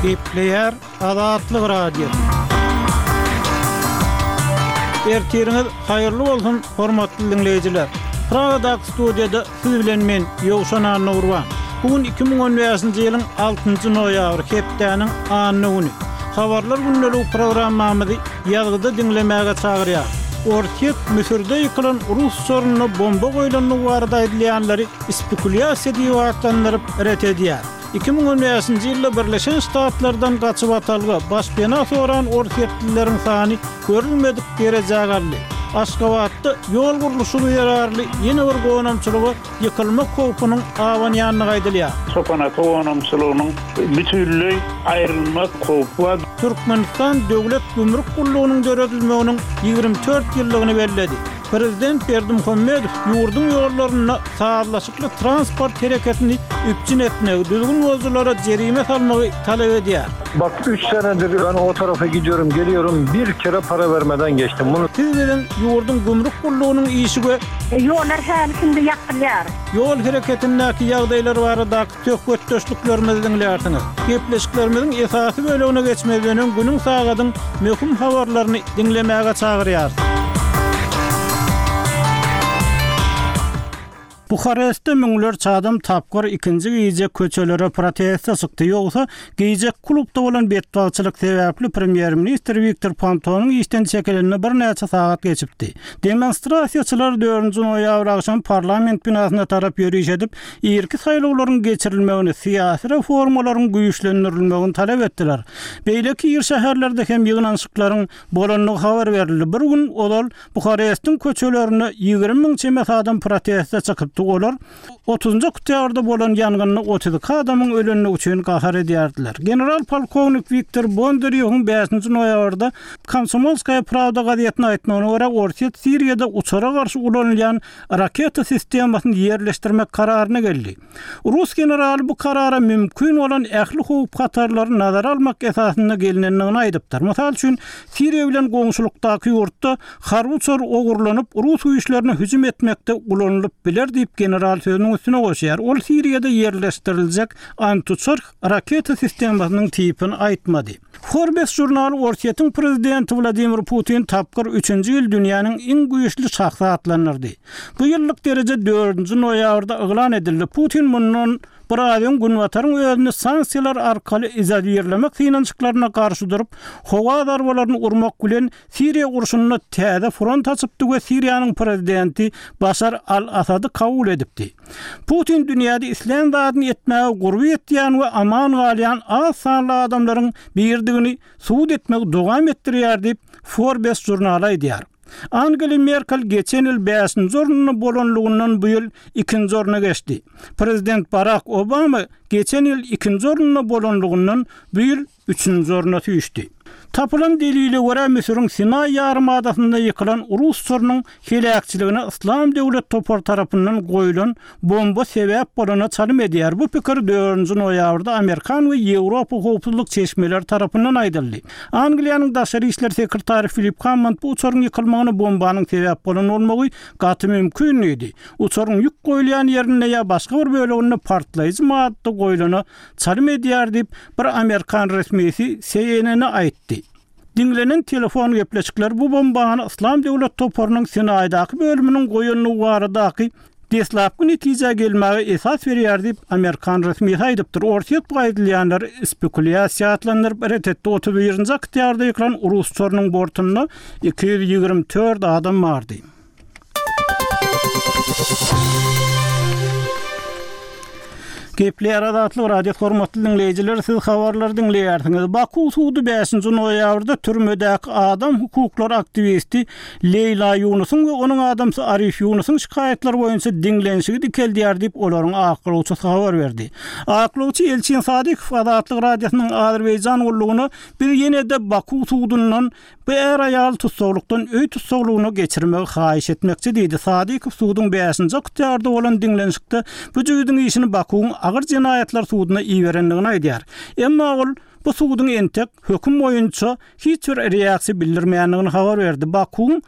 Gepleýär Azatlyk Radiosy. Ertiriňiz haýyrly bolsun, hormatly diňleýjiler! Pragadaky studiýada siz bilen men, Ýowşan Annagurban. Bu gün 2015-nji ýylyň altynjy noýabry, hepdäniň anna güni. Habarlar gündeligi programmamyzy ýazgyda diňlemäge çagyrýar. Orsýet Müsürde ýykylan rus uçarynda bomba goýlandygy barada aýdylýanlary spekulýasiýa diýip atlandyryp, ret edýär. 2015-nji ýylda Birleşen Ştatlardan gaçybatalga, başpena soran orsýetlileriň sany görülmedik derejä galdy. Aşgabatda ýol gurluşygy zerarly ýene bir gonamçylyga ýykylmak howpunyň abanýandygy aýdylýar. Çopan-ata gonamçylygynyň bütinleý aýrylmak howpy bar. Türkmenistan Döwlet gümrük gullugynyň döredilmeginiň 24 ýyllygyny belledi. Prezident Berdimuhamedow ýurduň ýollarynda sazlaşykly transport hereketini üpjün etmegi, düzgün bozujylara jerime salmagy talap edýär. Bak üç senedir ben o tarafa gidiyorum geliyorum bir kere para vermeden geçtim bunu. Siz biziň ýurduň gümrük gullugynyň işi we. Ýollar häli-şindi ýapylýar. Ýol hereketindäki ýagdaýlar baradaky söhbetdeşliklerimizi diňlärsiňiz. Gepleşiklerimiziň esasy bölegine geçmezden öň günüň sagadyň möhüm habarlaryny diňlemäge çagyrýarys. Buharestde müňlerçe adam tapgyr ikinji gije köçelere proteste çykdy, ýogsa gije klubda bolan betbagtçylyk sebäpli premýer-ministr Wiktor Pontonyň işden çekilenine birnäçe sagat geçipdi. Demonstrasiýaçylar dördünji noýabr agşam parlament binasyna tarap ýöriş edip, irki saýlawlaryň geçirilmegini, syýasy reformalaryň güýçlendirilmegini talap etdiler. Beýleki iri şäherlerde hem ýygnanyşyklaryň bolandygy habar berildi. Bir gün ozal Buharestiň köçelerinde 20 müň çemesi adam proteste çykypdy, olar otuzynjy oktýabrda bolan ýangynda 32 adamyň ölendigi üçin gahar edýärdiler. General-polkownik Wiktor Bondarýowyň bäşinji noýabrda Komsomolskaýa prawda gazetine aýtmagyna görä, Orsýet Siriýada uçara garşy ulanylýan raketa sistemasyny ýerleşdirmek kararyna geldi. Rus generaly bu karara mümkin bolan ähli howp-hatarlary nazara almak esasynda gelnendigini aýdypdyr. Mysal üçin, Siriýa bilen goňşulykdaky ýurtda harby uçar ogurlanyp, rus güýçlerine hüjüm etmekde ulanylyp biler diýip, general sözüniň üstüne goşýar. Ol Siriýada ýerleşdiriljek antiuçar raketa sistemasynyň tipini aýtmady. Forbes žurnaly Orsýetiň prezidenti Wladimir Putin tapgyr üçünji ýyl dünýäniň iň güýçli şahsy atlandyrdy. Bu ýyllyk dereje dördünji noýabrda yglan edildi. Putin mundan bir aý öň Günbataryň özüni sanksiýalar arkaly izolirlemek synanyşyklaryna garşy durup, howa zarbalaryny urmak bilen Siriýa urşunda täze front açypdy we Siriýanyň prezidenti Başar al-Assady kabul edipdi. Putin dünýäde islän zadyny etmäge gurby ýetýän we aman galýan az sanly adamlaryň biridigini subut etmegi dowam etdirýär diýip, Forbes žurnaly aýdýar. Angela Merkel geçen ýyl bäşinji orunda bolanlygyndan bu ýyl ikinji orna geçdi. Prezident Barak Obama geçen ýyl ikinji orunda bolanlygyndan bu ýyl üçünji orna süýşdi. Tapylan delile görä, Müsüriň Sinaý ýarymadasynda ýykylan rus uçarynyň heläkçiligine Yslam döwlet topary tarapyndan goýlan bomba sebäp bolana çalym edýär. Bu pikir dördünji noýabrda amerikan we ýewropa howpsuzlyk çeşmeleri tarapyndan aýdyldy. Angliýanyň daşary işler sekretary Filip Hammond bu uçaryň ýykylmagyna bombanyň sebäp bolan bolmagy gaty mümkin diýdi. Uçaryň ýük goýulýan ýerinde ýa başga bir böleginde partlaýjy madda goýlana çalym edýär diýip, bir amerikan resmisi CNN-e aýtdy. Diňlenen telefon gepleşikleri bu bombany Yslam döwlet toparynyň Sinaýdaky bölüminiň goýandygy baradaky deslapky netijä gelmäge esas berýär diýip, amerikan resmisi aýdypdyr. Orsýet bu aýdylýanlary spekulýasiýa atlandyryp, ret etdi. 31-nji oktýabrda ýykylan rus uçarynyň bortunda 224 adam bardy. Gepleýär Azatlyk Radiosy hormatly diňleýjiler siz habarlary diňleýärsiňiz. Baku sudy 5-nji noýabrda türmedäki adam hukuklary aktiwisti Leýla Ýunusyň we onuň adamsy Arif Ýunusyň şikaýatlary boýunça diňlenişigi dikeldýär diýip olaryň aklawçysy habar berdi. Aklawçy Elçin Sadykow Azatlyk Radiosynyň Azerbaýjan gullugyna biz ýene-de Baku sudundan Bu är-aýaly tussaglykdan öý tussaglygyna geçirmegi haýyş etmekçi diýdi. Sadykow suduň bäşinji oktýabrda bolan diňlenişikde bu jübüdiň işini Bakuwyň agyr jenaýatlar suduna iberendigini aýdýar. Emma ol bu suduň entek höküm boýunça hiç bir reaksiýa bildirmändigini habar berdi. Bakuwyň.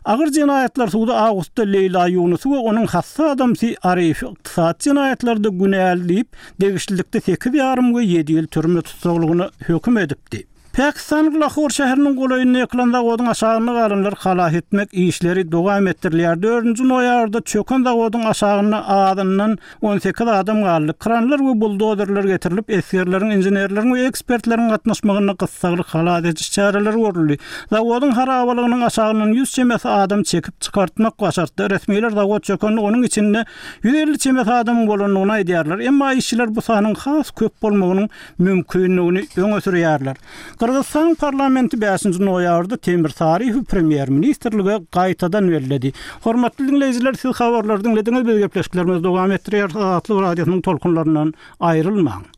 Agyr jenaýatlar sudy awgustda Leýla Ýunusy we onuň hassa adamsy Arifi ykdysady jenaýatlarda günäli diýip, degişlilikde sekiz ýarym we ýedi ýyl türme tussaglygyna höküm edipdi. Pakistanyň Lahor şäheriniň golaýynda ýykylan zawodyň aşagynda galanlary halas etmek işleri dowam etdirilýär. Dördünji noýabrda çöken zawodyň aşagynda azyndan 18 adam galdy. Kranlar we buldozerler getirilip, esgerleriň, inženerleriň we ekspertleriň gatnaşmagynda gyssagly halas ediş çäreleri görüldi. Zawodyň harabalygynyň aşagyndan 100 çemesi adam çekip çykartmak başartdy. Resmiler zawod çökende onuň içinde 150 çemesi adamyň bolandygyny aýdýarlar. Emma işçiler bu sanyň has köp bolmagynyň mümkindigini öňe sürýärler. Gyrgyzystanyň parlamenti bäşinji noýabrda Temir Saryýewi premýer-ministrlige gaýtadan belledi. Hormatly diňleýjiler, siz habarlary diňlediňiz, biz gepleşiklerimizi dowam etdirýäris, Azatlyk Radiosynyň tolkunlaryndan aýrylmaň.